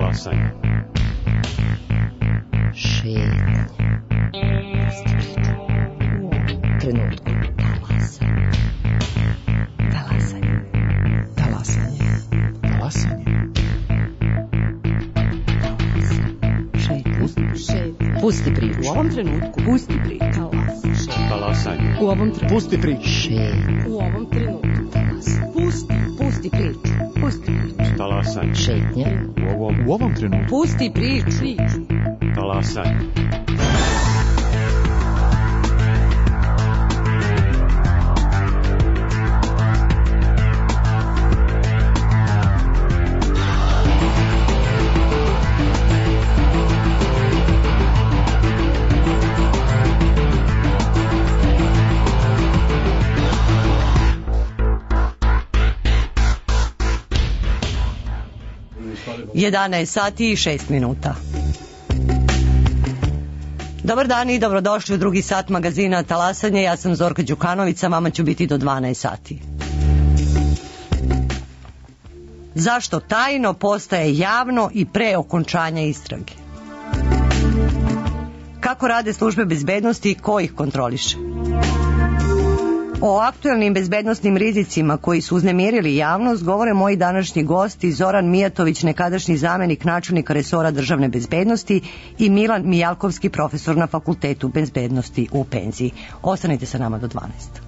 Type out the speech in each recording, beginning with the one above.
Talasanje. Šetnja. Trenutku. Talasanje. Talasanje. Talasanje. Šetnja. Pusti priču. U ovom trenutku. Pusti priču. Talasanje. U ovom trenutku. Pusti priču. Šetnja. U ovom trenutku. Pusti priču. Pusti priču. Talasanje. Šetnja. U ovom trenutku. Pusti priču. Talasanje. Jedanaest sati i 6 minuta. Dobar dan i dobrodošli u drugi sat magazina Talasanje. Ja sam Zorka Đukanović, sa vama ću biti do 12 sati. Zašto tajno postaje javno i pre okončanja istrage? Kako rade službe bezbednosti i ko ih kontroliše? O aktuelnim bezbednosnim rizicima koji su uznemirili javnost govore moji današnji gosti Zoran Mijatović, nekadašnji zamenik načelnika resora državne bezbednosti, i Milan Mijalkovski, profesor na Fakultetu bezbednosti u penziji. Ostanite sa nama do 12.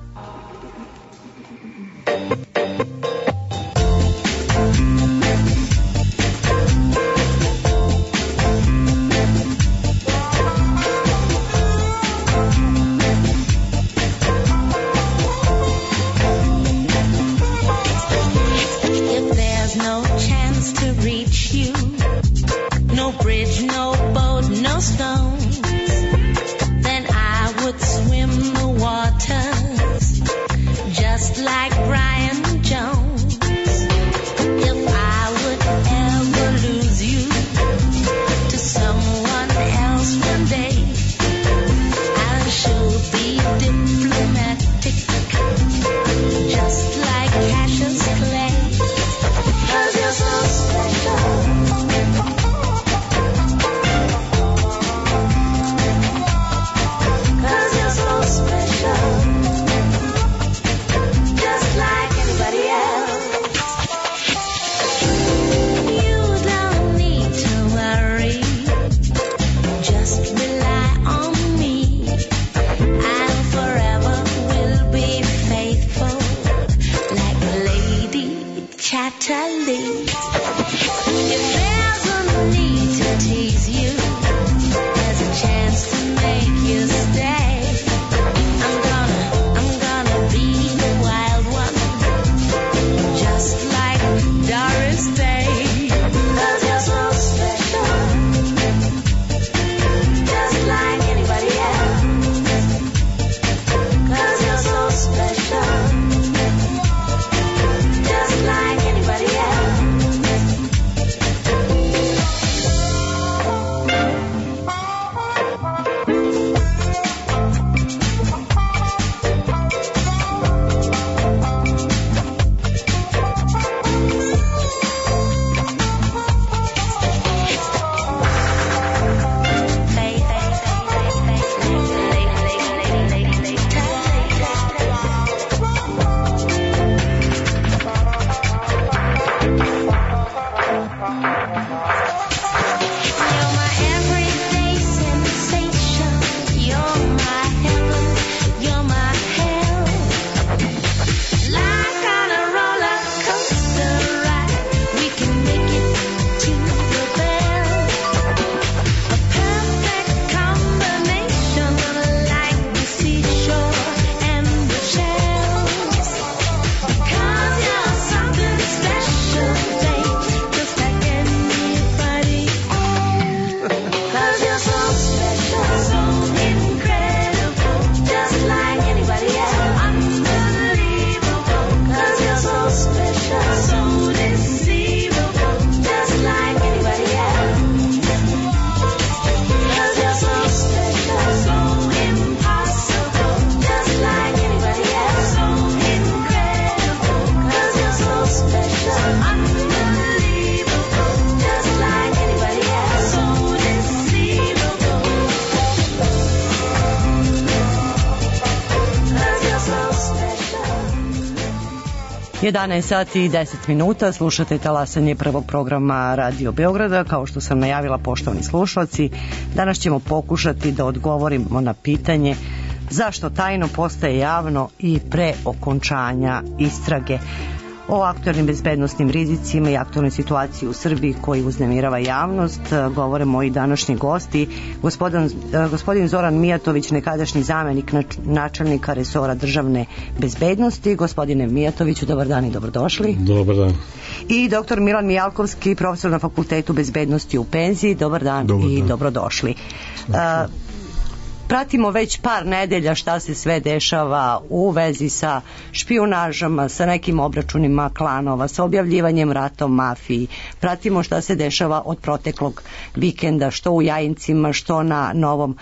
11 sati i 10 minuta, slušate talasanje prvog programa Radio Beograda. Kao što sam najavila, poštovani slušalci, danas ćemo pokušati da odgovorimo na pitanje zašto tajno postaje javno i pre okončanja istrage. O aktualnim bezbednostnim rizicima i aktualnoj situaciji u Srbiji koji uznemirava javnost govore moji današnji gosti, gospodin Zoran Mijatović, nekadašnji zamenik načelnika resora državne bezbednosti. Gospodine Mijatoviću, dobar dan i dobrodošli. Dobar dan. I doktor Milan Mijalkovski, profesor na Fakultetu bezbednosti u penziji. Dobar dan i dobrodošli. Pratimo već par nedelja šta se sve dešava u vezi sa špijunažama, sa nekim obračunima klanova, sa objavljivanjem rata o mafiji. Pratimo šta se dešava od proteklog vikenda, što u Jajincima, što na Novom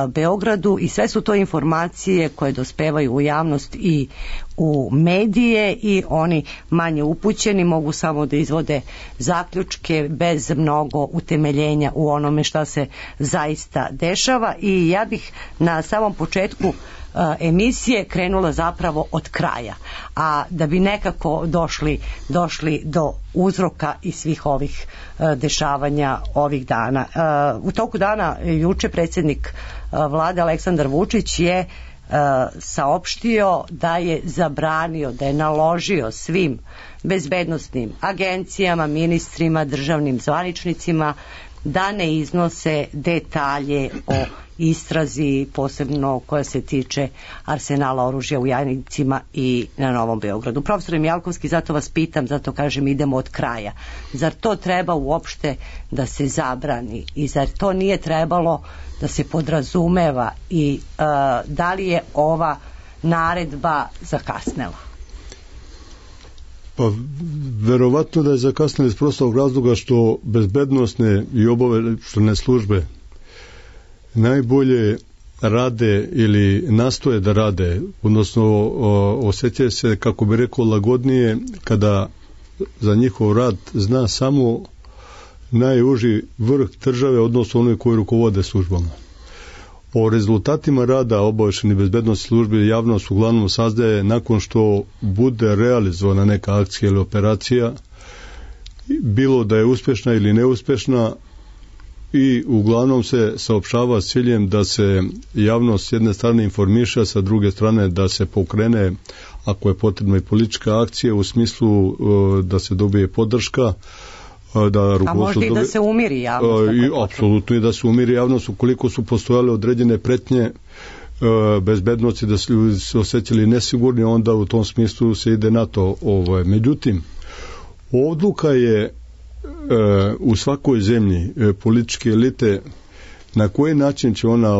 Beogradu, i sve su to informacije koje dospevaju u javnost i u medije, i oni manje upućeni mogu samo da izvode zaključke bez mnogo utemeljenja u onome šta se zaista dešava. I ja bih na samom početku emisije krenula zapravo od kraja, a da bi nekako došli do uzroka i svih ovih dešavanja ovih dana. U toku dana juče predsjednik vlade Aleksandar Vučić je saopštio da je zabranio, da je naložio svim bezbednosnim agencijama, ministrima, državnim zvaničnicima da ne iznose detalje o istrazi, posebno koja se tiče arsenala oružja u Jajincima i na Novom Beogradu. Profesor Mijalkovski, zato vas pitam, zato kažem idemo od kraja. Zar to treba uopšte da se zabrani i zar to nije trebalo da se podrazumeva i da li je ova naredba zakasnela? Pa verovatno da je zakasnila iz prostog razloga što bezbednosne i obaveštajne službe najbolje rade ili nastoje da rade, odnosno osjećaju se, kako bi rekao, lagodnije kada za njihov rad zna samo najuži vrh države, odnosno onoj koji rukovode službama. O rezultatima rada obaveštajnih bezbednosnih službi javnost uglavnom saznaje nakon što bude realizovana neka akcija ili operacija, bilo da je uspješna ili neuspješna, i uglavnom se saopštava s ciljem da se javnost s jedne strane informiše, sa druge strane da se pokrene, ako je potrebno, i politička akcija u smislu da se dobije podrška, a možda i da se umiri javnost. Apsolutno i da se umiri javnost ukoliko su postojale određene pretnje bezbednosti, da su ljudi se osjećali nesigurni, onda u tom smislu se ide na to. Međutim, odluka je u svakoj zemlji političke elite na koji način će ona,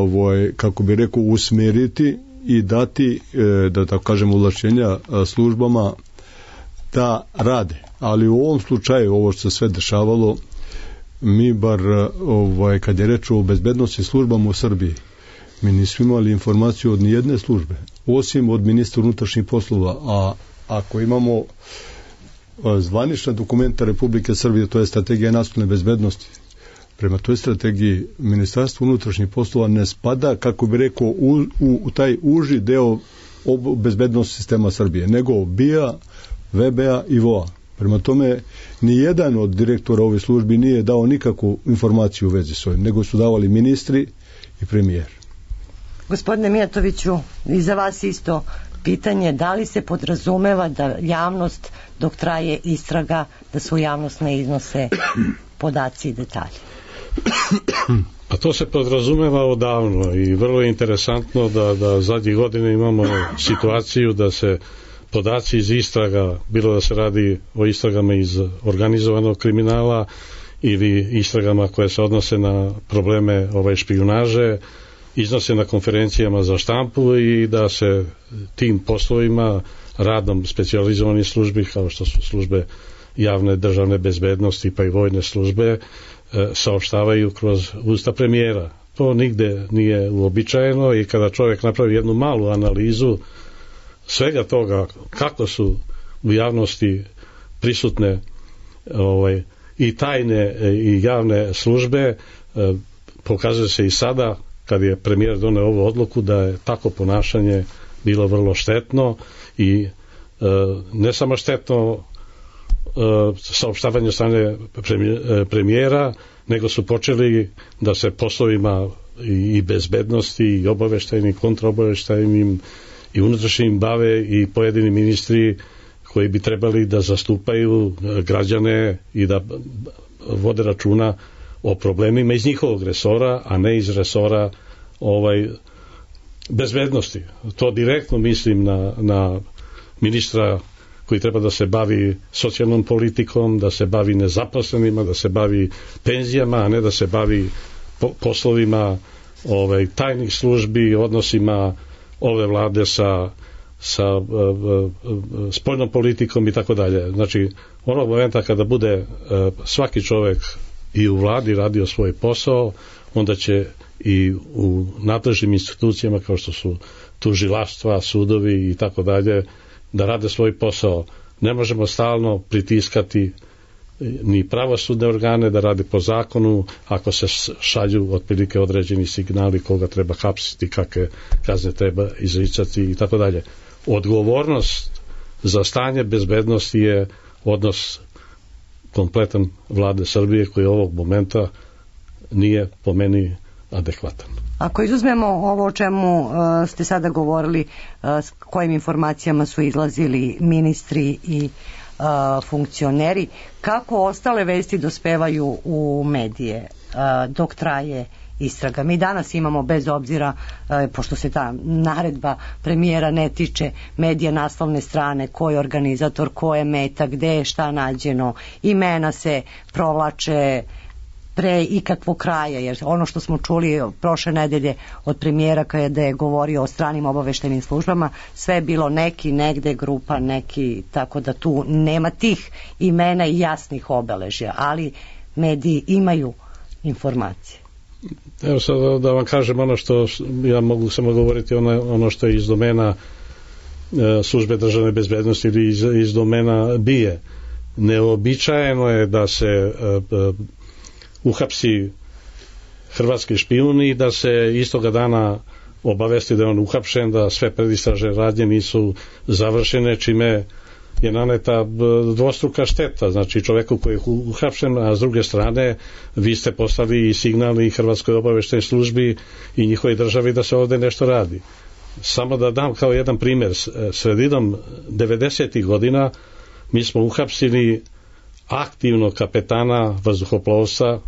kako bi rekao, usmjeriti i dati, da tako kažem, ovlašćenja službama da rade. Ali u ovom slučaju, ovo što se sve dešavalo, mi bar, kad je reč o bezbednosti službama u Srbiji, mi nismo imali informaciju od nijedne službe, osim od ministra unutrašnjih poslova, a ako imamo zvanična dokumenta Republike Srbije, to je strategija nacionalne bezbednosti, prema toj strategiji Ministarstvo unutrašnjih poslova ne spada, kako bi rekao, u taj uži deo bezbednosti sistema Srbije, nego BIA, VBA i VOA. Prema tome, nijedan od direktora ove službi nije dao nikakvu informaciju u vezi s ovim, nego su davali ministri i premijer. Gospodine Mijatoviću, i za vas isto pitanje, da li se podrazumeva da javnost, dok traje istraga, da su javnost ne iznose podaci i detalje? Pa to se podrazumeva odavno i vrlo je interesantno da zadnjih godina imamo situaciju da se podaci iz istraga, bilo da se radi o istragama iz organizovanog kriminala ili istragama koje se odnose na probleme špijunaže, iznose na konferencijama za štampu i da se tim poslovima, radom specijalizovanih službi, kao što su službe javne državne bezbednosti pa i vojne službe, saopštavaju kroz usta premijera. To nigde nije uobičajeno i kada čovjek napravi jednu malu analizu svega toga, kako su u javnosti prisutne i tajne i javne službe, pokazuje se i sada kad je premijer doneo ovu odluku da je tako ponašanje bilo vrlo štetno i ne samo štetno saopštavanje strane premijera, nego su počeli da se poslovima i bezbednosti i obaveštajnim, kontraobaveštajnim i unutrašnjim bave i pojedini ministri koji bi trebali da zastupaju građane i da vode računa o problemima iz njihovog resora, a ne iz resora bezbednosti. To direktno mislim na ministra koji treba da se bavi socijalnom politikom, da se bavi nezaposlenima, da se bavi penzijama, a ne da se bavi poslovima tajnih službi, odnosima ove vlade sa spoljnom politikom i tako dalje. Znači, onog momenta kada bude svaki čovek i u vladi radio svoj posao, onda će i u nadležnim institucijama kao što su tužilaštva, sudovi i tako dalje, da rade svoj posao. Ne možemo stalno pritiskati ni pravosudne organe da rade po zakonu ako se šalju otprilike određeni signali koga treba hapsiti, kakve kazne treba izricati i tako dalje. Odgovornost za stanje bezbednosti je odnos kompletan vlade Srbije koji ovog momenta nije po meni adekvatan. Ako izuzmemo ovo o čemu ste sada govorili, s kojim informacijama su izlazili ministri i funkcioneri, kako ostale vesti dospevaju u medije dok traje istraga? Mi danas imamo, bez obzira, pošto se ta naredba premijera ne tiče medija, naslovne strane, ko je organizator, ko je meta, gde je šta nađeno, imena se provlače pre ikakvog kraja, jer ono što smo čuli prošle nedelje od premijera kada je govorio o stranim obaveštajnim službama, sve je bilo neki, negde, grupa, neki, tako da tu nema tih imena i jasnih obeležja, ali mediji imaju informacije. Evo sad da vam kažem ono što ja mogu samo govoriti, ono što je iz domena službe državne bezbednosti ili iz domena BIA. Neobičajeno je da se uhapsi hrvatski špijun i da se istoga dana obavesti da je on uhapšen, da sve predistražne radnje nisu završene, čime je naneta dvostruka šteta, znači čoveku koji je uhapšen, a s druge strane vi ste poslali i signal i Hrvatskoj obaveštajnoj službi i njihovoj državi da se ovde nešto radi. Samo da dam kao jedan primer, sredinom 90. godina mi smo uhapsili aktivnog kapetana vazduhoplovstva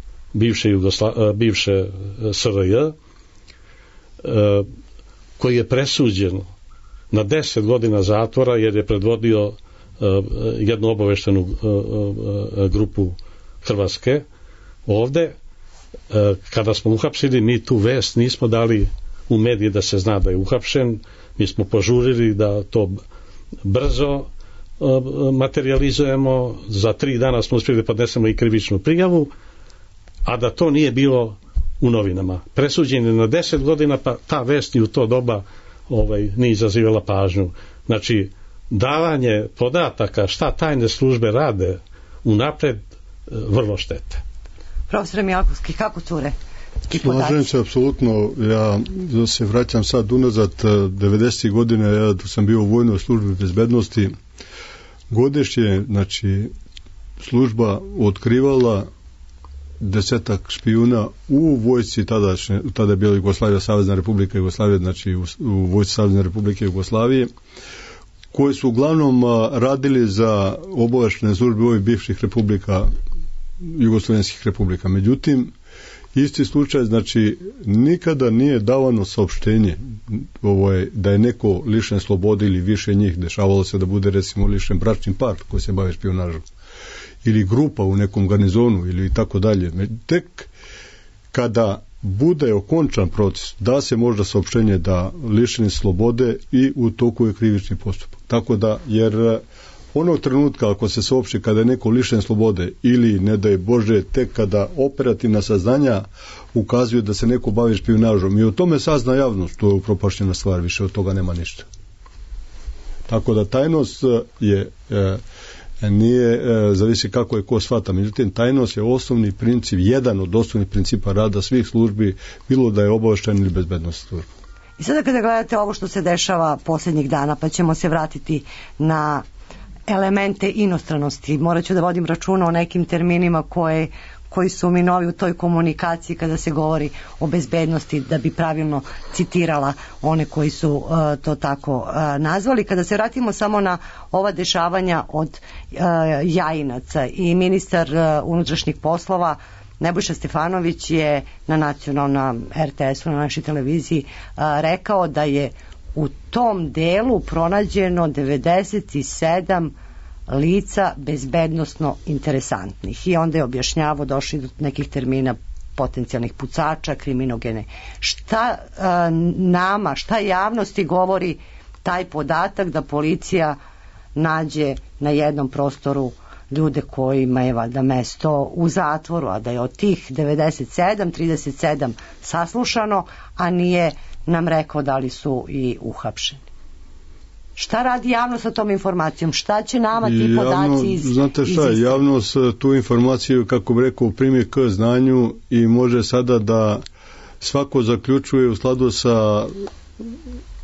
bivše SRJ, koji je presuđen na 10 godina zatvora jer je predvodio jednu obaveštenu grupu Hrvatske ovde. Kada smo uhapsili, mi tu vest nismo dali u medije da se zna da je uhapšen, mi smo požurili da to brzo materializujemo, za 3 dana smo uspjeli da podnesemo i krivičnu prijavu, a da to nije bilo u novinama. Presuđen je na 10 godina, pa ta vest ni u to doba nije izazivala pažnju. Znači, davanje podataka šta tajne službe rade unapred vrlo štete. Profesor Mijalkovski, kako cure? Slažem se apsolutno. Ja se vraćam sad unazad 90. godine, ja sam bio u vojnoj službi bezbednosti. Godišnje, znači, služba otkrivala 10 špijuna u vojsci tada je bila Jugoslavija, Savezna Republika Jugoslavije, znači u vojsci Savezne Republike Jugoslavije, koji su uglavnom radili za obaveštajne službe ovih bivših republika, jugoslovenskih republika. Međutim, isti slučaj, znači, nikada nije davano saopštenje da je neko lišen slobode ili više njih. Dešavalo se da bude, recimo, lišen bračni par koji se bave špijunažom ili grupa u nekom garnizonu ili tako dalje. Tek kada bude okončan proces, da se možda saopštenje da lišeni slobode i u toku je krivični postupak. Tako da, jer onog trenutka ako se saopšti kada je neko lišen slobode ili, ne daj Bože, tek kada operativna saznanja ukazuju da se neko bavi špijunažom i o tome sazna javnost, to je upropašćena stvar, više od toga nema ništa. Tako da tajnost je nije, zavisi kako je ko shvata, međutim tajnost je osnovni princip, jedan od osnovnih principa rada svih službi, bilo da je obaveštajna ili bezbednosna služba. I sada kada gledate ovo što se dešava posljednjih dana, pa ćemo se vratiti na elemente inostranosti. Morat ću da vodim računa o nekim terminima koji su mi novi u toj komunikaciji kada se govori o bezbednosti, da bi pravilno citirala one koji su to tako nazvali. Kada se vratimo samo na ova dešavanja od Jajinaca, i ministar unutrašnjih poslova Nebojša Stefanović je na nacionalnom RTS-u, na našoj televiziji, rekao da je u tom delu pronađeno 97 lica bezbednosno interesantnih, i onda je objašnjavao, došli do nekih termina potencijalnih pucača, kriminogene. Šta nama, šta javnosti govori taj podatak da policija nađe na jednom prostoru ljude kojima je valjda mesto u zatvoru, a da je od tih 97, 37 saslušano, a nije nam rekao da li su i uhapšeni? Šta radi javnost sa tom informacijom? Šta će nama ti podaci znate šta, javnost tu informaciju, kako bi rekao, primi k znanju i može sada da svako zaključuje u skladu sa,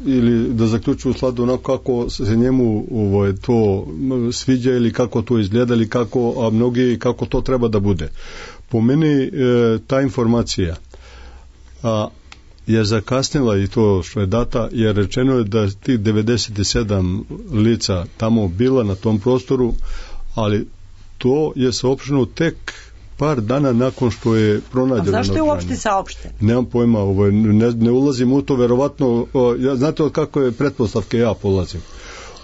ili da zaključuje u skladu onako kako se njemu to sviđa ili kako to izgleda ili kako, a mnogi kako to treba da bude. Po meni ta informacija je zakasnila, i to što je data, jer rečeno je da tih 97 lica tamo bila na tom prostoru, ali to je saopšteno tek par dana nakon što je pronađeno. A zašto je uopšte saopšteno? Nemam pojma, ne ulazim u to, verovatno, znate od kako je pretpostavke ja polazim.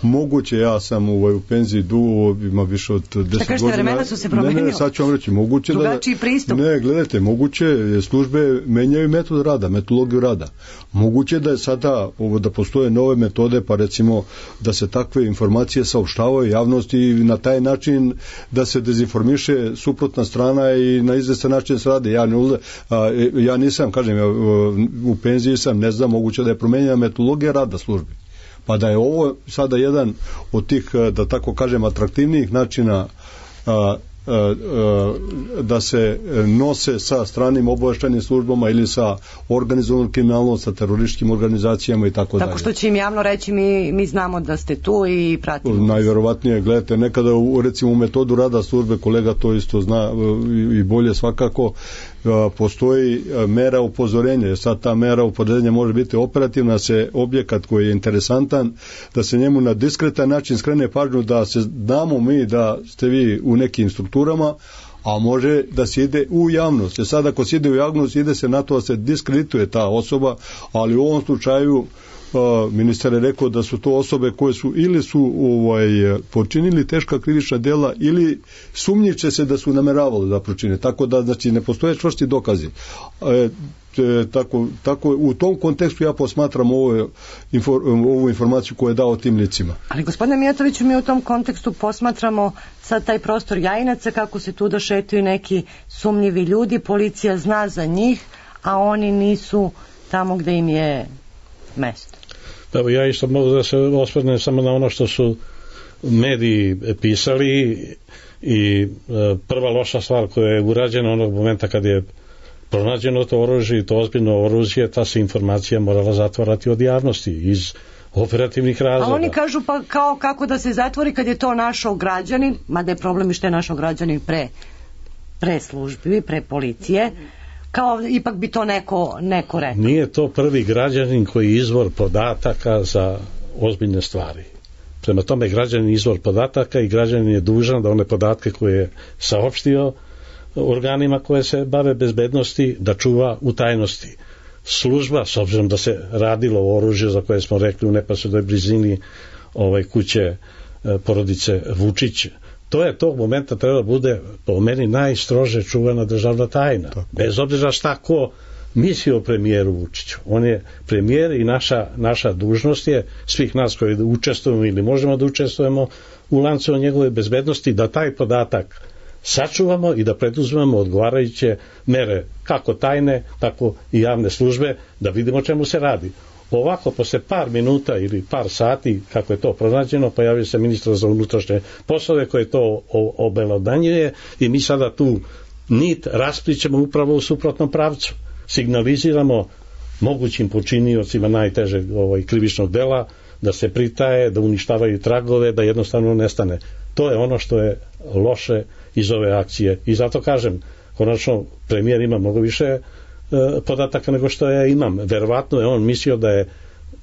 Moguće, ja sam u penziji dugo, ima više od 10 godina. Šta kažete, vremena su se promenila? Ne, sad ću vam reći, moguće drugačiji pristup. Ne, gledajte, moguće službe menjaju metod rada, metodologiju rada. Moguće da je sada da postoje nove metode, pa recimo da se takve informacije saopštavaju javnosti i na taj način da se dezinformiše suprotna strana i na izvestan način se rade. Ja nisam, kažem, u penziji sam, ne znam, moguće da je promenjena metodologija rada službi. Pa da je ovo sada jedan od tih, da tako kažem, atraktivnijih načina da se nose sa stranim obaveštajnim službama ili sa organizovanom kriminalnom, sa terorističkim organizacijama i tako dalje. Tako što će im javno reći mi znamo da ste tu i pratimo. Najvjerovatnije, gledajte, nekada recimo u metodu rada službe, kolega to isto zna i bolje svakako, postoji mera upozorenja. Sad ta mera upozorenja može biti operativna, se objekat koji je interesantan, da se njemu na diskretan način skrene pažnju, da se damo mi da ste vi u nekim strukturama, a može da se ide u javnost. Sad ako se ide u javnost, ide se na to da se diskredituje ta osoba, ali u ovom slučaju ministar je rekao da su to osobe koje su ili su počinili teška krivična djela ili sumnjiče se da su nameravali da počine. Tako da, znači, ne postoje čvrsti dokazi. Tako u tom kontekstu ja posmatram ovu informaciju koju je dao tim licima. Ali gospodine Mijatoviću, mi u tom kontekstu posmatramo sad taj prostor Jajinaca, kako se tu došetuju neki sumnjivi ljudi, policija zna za njih, a oni nisu tamo gde im je mesto. Evo, ja isto mogu da se osvrnem samo na ono što su mediji pisali, i prva loša stvar koja je urađena onog momenta kad je pronađeno to oružje i to ozbiljno oružje, ta se informacija morala zatvarati od javnosti iz operativnih razloga. A oni kažu pa kao kako da se zatvori kad je to našao građanin, mada je problem i što je našao građanin pre službi, pre policije, kao ipak bi to neko rekao. Nije to prvi građanin koji je izvor podataka za ozbiljne stvari. Prema tome, građanin je izvor podataka i građanin je dužan da one podatke koje je saopštio organima koje se bave bezbednosti da čuva u tajnosti. Služba, s obzirom da se radilo o oružju za koje smo rekli u neposrednoj blizini kuće porodice Vučić, to je tog momenta treba bude po meni najstrože čuvana državna tajna. Tako. Bez obzira šta ko misli o premijeru Vučiću. On je premijer i naša dužnost je svih nas koji učestvujemo ili možemo da učestvujemo u lancu njegove bezbednosti, da taj podatak sačuvamo i da preduzmemo odgovarajuće mere, kako tajne, tako i javne službe, da vidimo čemu se radi. Ovako, posle par minuta ili par sati, kako je to pronađeno, pojavio se ministar za unutrašnje poslove koji to obelodanjuje i mi sada tu nit rasplićemo upravo u suprotnom pravcu. Signaliziramo mogućim počiniocima najtežeg krivičnog dela, da se pritaje, da uništavaju tragove, da jednostavno nestane. To je ono što je loše iz ove akcije. I zato kažem, konačno premijer ima mnogo više podataka nego što ja imam. Verovatno je on mislio da je,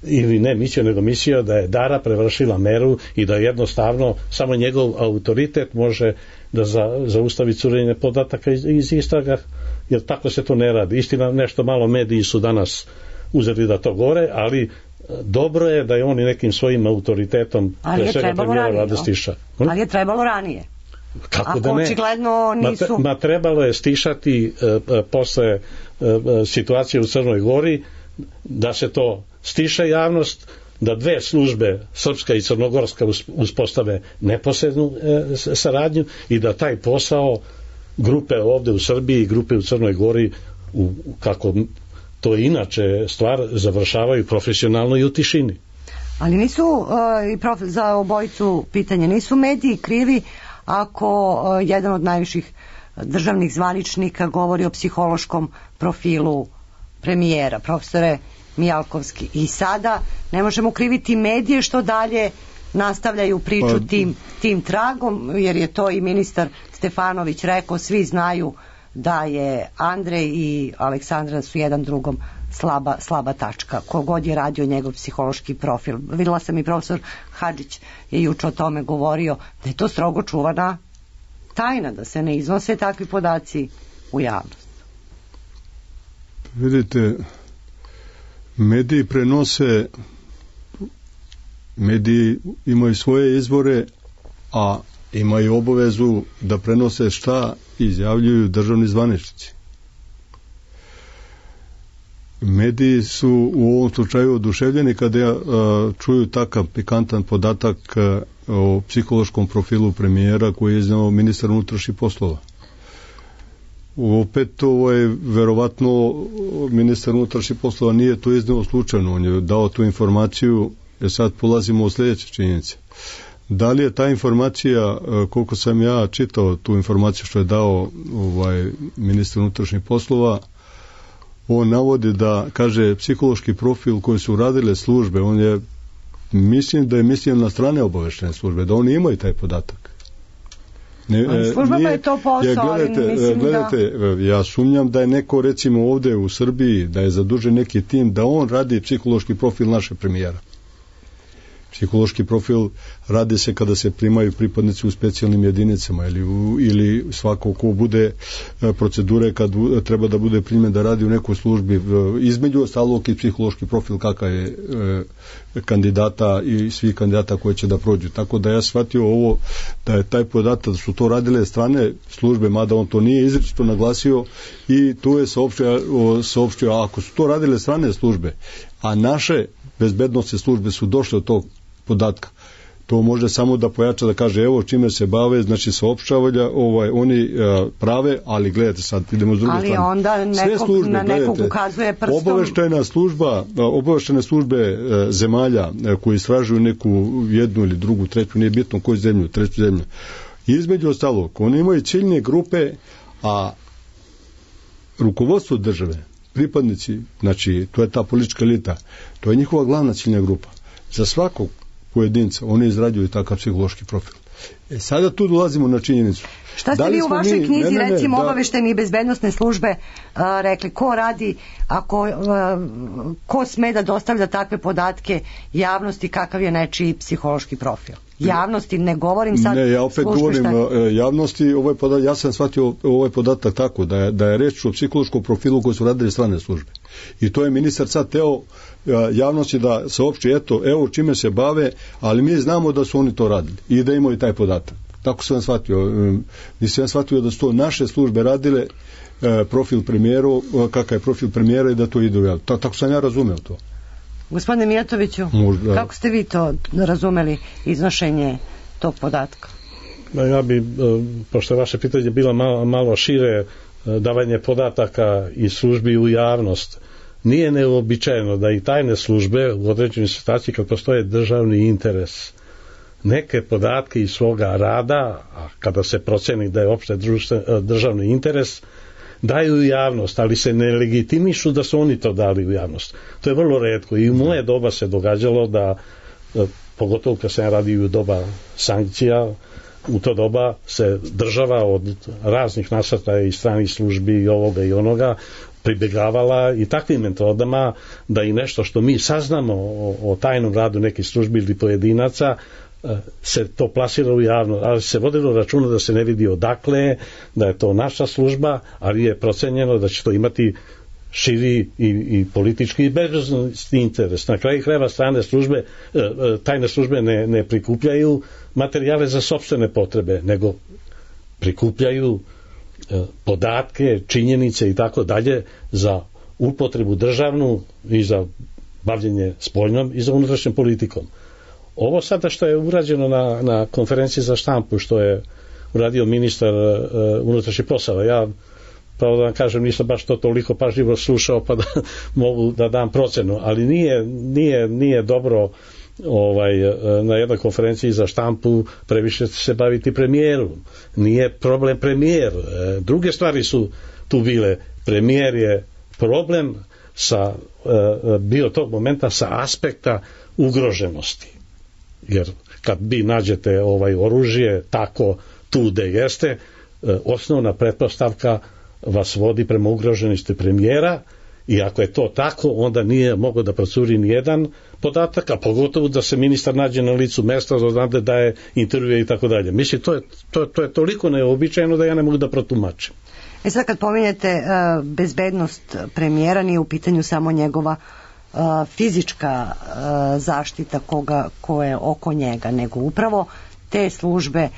ili ne mislio, nego mislio da je Dara prevršila meru i da jednostavno samo njegov autoritet može da zaustavi curenje podataka iz istraga, jer tako se to ne radi. Istina, nešto malo mediji su danas uzeli da to gore, ali dobro je da je on i nekim svojim autoritetom ali je trebalo ranije, ali je trebalo ranije. Kako ako da ne? Očigledno nisu... Trebalo je stišati posle situacije u Crnoj Gori, da se to stiša javnost, da dve službe, srpska i crnogorska, uspostave neposrednu saradnju i da taj posao grupe ovde u Srbiji i grupe u Crnoj Gori, kako to je inače stvar, završavaju profesionalno i u tišini. Ali nisu, za obojicu pitanje, nisu mediji krivi ako jedan od najviših državnih zvaničnika govori o psihološkom profilu premijera, profesore Mijalkovski, i sada ne možemo kriviti medije što dalje nastavljaju priču tim tragom, jer je to i ministar Stefanović rekao, svi znaju da je Andrej i Aleksandra su jedan drugom slaba tačka, kogod je radio njegov psihološki profil. Videla sam i profesor Hadžić je juče o tome govorio, da je to strogo čuvana tajna, da se ne iznose takvi podaci u javnost. Vidite, mediji prenose, mediji imaju svoje izvore, a imaju obavezu da prenose šta izjavljuju državni zvaničnici. Mediji su u ovom slučaju oduševljeni kada čuju takav pikantan podatak o psihološkom profilu premijera koji je iznao ministar unutrašnjih poslova. Opet verovatno ministar unutrašnjih poslova nije to iznao slučajno, on je dao tu informaciju, jer sad polazimo od sljedeće činjenice. Da li je ta informacija, koliko sam ja čitao tu informaciju što je dao ministar unutrašnjih poslova, on navodi da, kaže, psihološki profil koji su radile službe, on je, mislim da je mislio na strane obaveštene službe, da oni imaju taj podatak. Službama je to posao, ali mislim gledajte, ja sumnjam da je neko, recimo ovde u Srbiji, da je zadužen neki tim, da on radi psihološki profil naše premijera. Psihološki profil radi se kada se primaju pripadnici u specijalnim jedinicama ili svako ko bude procedure kad treba da bude primljen da radi u nekoj službi, između ostalog i psihološki profil kakav je kandidata i svih kandidata koji će da prođu. Tako da ja shvatio ovo, da je taj podatak da su to radile strane službe, mada on to nije izričito naglasio, i tu je saopštio, ako su to radile strane službe, a naše bezbednosne službe su došle od tog podatka, to može samo da pojača, da kaže evo čime se bave, znači saopštavanja, oni prave, ali gledajte sad, idemo s druge strane. Ali onda nekog ukazuje prstom. Obaveštene službe zemalja koji istražuju neku jednu ili drugu, treću, nije bitno koju zemlju, treću zemlju. Između ostalog, oni imaju ciljne grupe, a rukovodstvo države, pripadnici, znači to je ta politička elita, to je njihova glavna ciljna grupa. Za svakog pojedinca oni izrađuju takav psihološki profil. Sada tu dolazimo na činjenicu. Šta ste vi u vašoj knjizi, recimo obavešteni i bezbednosne službe, rekli, ko radi, ko sme da dostavlja takve podatke javnosti, kakav je nečiji psihološki profil? Javnosti, ne govorim sad... Ne, ja opet govorim javnosti, ja sam shvatio ovaj podatak tako, da je reč o psihološkom profilu koji su radili strane službe. I to je ministar sad teo javnosti da saopšti, evo čime se bave, ali mi znamo da su oni to radili i da imaju taj podatak. Tako sam shvatio. Nisam shvatio da su to naše službe radile profil premijeru, kakav je profil premijera i da to ide u javnost. Tako sam ja razumeo to. Gospodine Mijatoviću, kako ste vi to razumeli, iznošenje tog podatka? Ja bi, pošto je vaše pitanje bilo malo šire, davanje podataka i službi u javnost, nije neobičajeno da i tajne službe u određenoj situaciji kad postoje državni interes neke podatke iz svoga rada, a kada se proceni da je opšte državni interes, daju u javnost, ali se ne legitimišu da su oni to dali u javnost. To je vrlo retko i u moje doba se događalo da, pogotovo kad sam radio u doba sankcija, u to doba se država od raznih nasrtaja i stranih službi i ovoga i onoga pribjegavala i takvim metodama da i nešto što mi saznamo o tajnom radu nekih službi ili pojedinaca se to plasira u javno, ali se vodilo računa da se ne vidi odakle, da je to naša služba, ali je procenjeno da će to imati širi i politički i bezbednosni interes. Na kraju krajeva strane službe, tajne službe ne prikupljaju materijale za sopstvene potrebe, nego prikupljaju podatke, činjenice i tako dalje za upotrebu državnu i za bavljenje spoljnom i za unutrašnjom politikom. Ovo sada što je urađeno na konferenciji za štampu, što je uradio ministar unutrašnjih poslova, ja pravo da vam kažem, nisam baš to toliko pažljivo slušao pa da mogu da dam procenu, ali nije dobro na jednoj konferenciji za štampu previše se baviti premijerom. Nije problem premijer. Druge stvari su tu bile. Premijer je problem bio tog momenta sa aspekta ugroženosti. Jer kad vi nađete oružje tako tu gde jeste, osnovna pretpostavka vas vodi prema ugroženosti premijera i ako je to tako, onda nije mogao da procuri ni jedan podatak, a pogotovo da se ministar nađe na licu mesta, da daje intervjue i tako dalje. Mislim, to je toliko neobičajno da ja ne mogu da protumačim. Sad kad pominjete bezbednost premijera, nije u pitanju samo njegova fizička zaštita ko je oko njega, nego upravo te službe.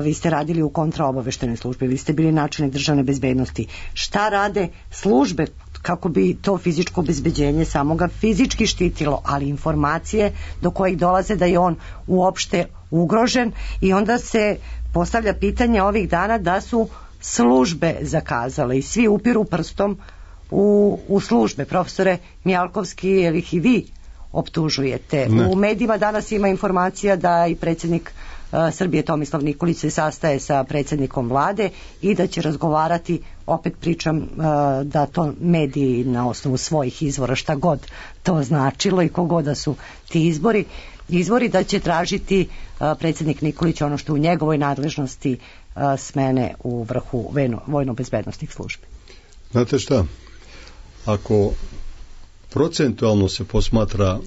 Vi ste radili u kontraobaveštajnoj službi, vi ste bili načelnik državne bezbednosti. Šta rade službe kako bi to fizičko obezbeđenje samoga fizički štitilo, ali informacije do kojih dolaze da je on uopšte ugrožen, i onda se postavlja pitanje ovih dana da su službe zakazale i svi upiru prstom u službe. Profesore Mijalkovski, jel ih i vi optužujete? Ne. U medijima danas ima informacija da i predsjednik Srbije Tomislav Nikolić se sastaje sa predsjednikom vlade i da će razgovarati, opet pričam da to mediji na osnovu svojih izvora, šta god to značilo i kogod da su ti izvori, da će tražiti predsjednik Nikolić ono što u njegovoj nadležnosti smene u vrhu vojno-bezbednostnih službi. Znate šta, ako procentualno se posmatra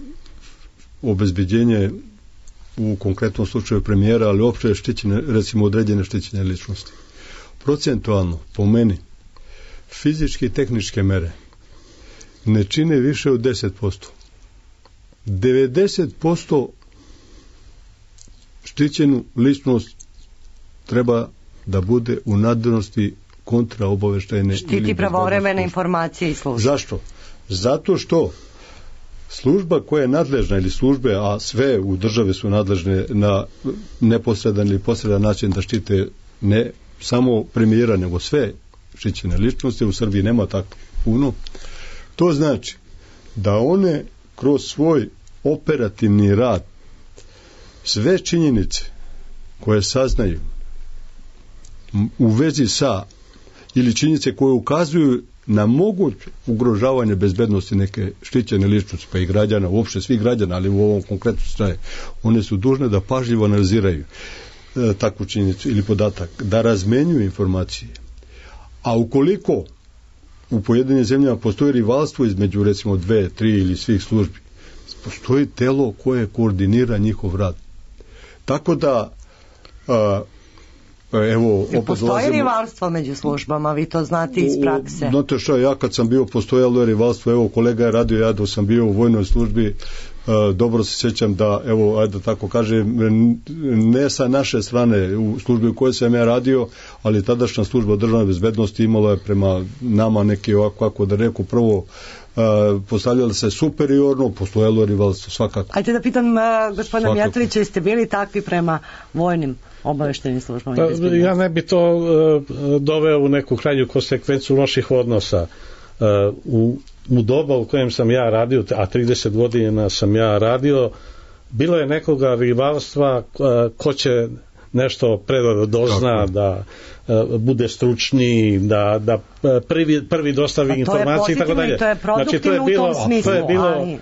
obezbeđenje u konkretnom slučaju premijera, ali opšte štićene, recimo određene štićene ličnosti, procentualno, po meni, fizičke i tehničke mere ne čine više od 10%. 90% štićenu ličnost treba da bude u nadležnosti kontraobaveštajne. Štiti pravovremene informacije i službe. Zašto? Zato što služba koja je nadležna, ili službe, a sve u državi su nadležne na neposredan ili posredan način da štite ne samo premijera, nego sve štićene ličnosti. U Srbiji nema tako puno. To znači da one kroz svoj operativni rad sve činjenice koje saznaju u vezi sa, ili činjenice koje ukazuju na moguće ugrožavanje bezbednosti neke štićene ličnosti, pa i građana, uopšte svih građana, ali u ovom konkretnom slučaju, one su dužne da pažljivo analiziraju takvu činjenicu ili podatak, da razmenjuju informacije. A ukoliko u pojedinim zemljama postoji rivalstvo između recimo 2, 3 ili svih službi, postoji telo koje koordinira njihov rad. Tako da evo, postoji rivalstvo među službama, vi to znate iz prakse. Znate što, ja kad sam bio, postojalo je rivalstvo, evo kolega je radio, ja dok sam bio u vojnoj službi, dobro se sjećam da, evo, ajde tako kažem, ne sa naše strane u službi u kojoj sam ja radio, ali tadašnja služba državne bezbednosti imala je prema nama neki ovako, kako da reku, prvo postavljali se superiorno, postojalo rivalstvo svakako. Ajde da pitam gospodina Mijatovića, jeste bili takvi prema vojnim obaveštajnim službama? Ja ne bi to doveo u neku krajnju konsekvencu loših odnosa. U doba u kojem sam ja radio, a 30 godina sam ja radio, bilo je nekoga rivalstva ko će nešto predano dozna, da bude stručniji, da prvi dostavi informacije i tako dalje. To je produktivno u tom smislu, ali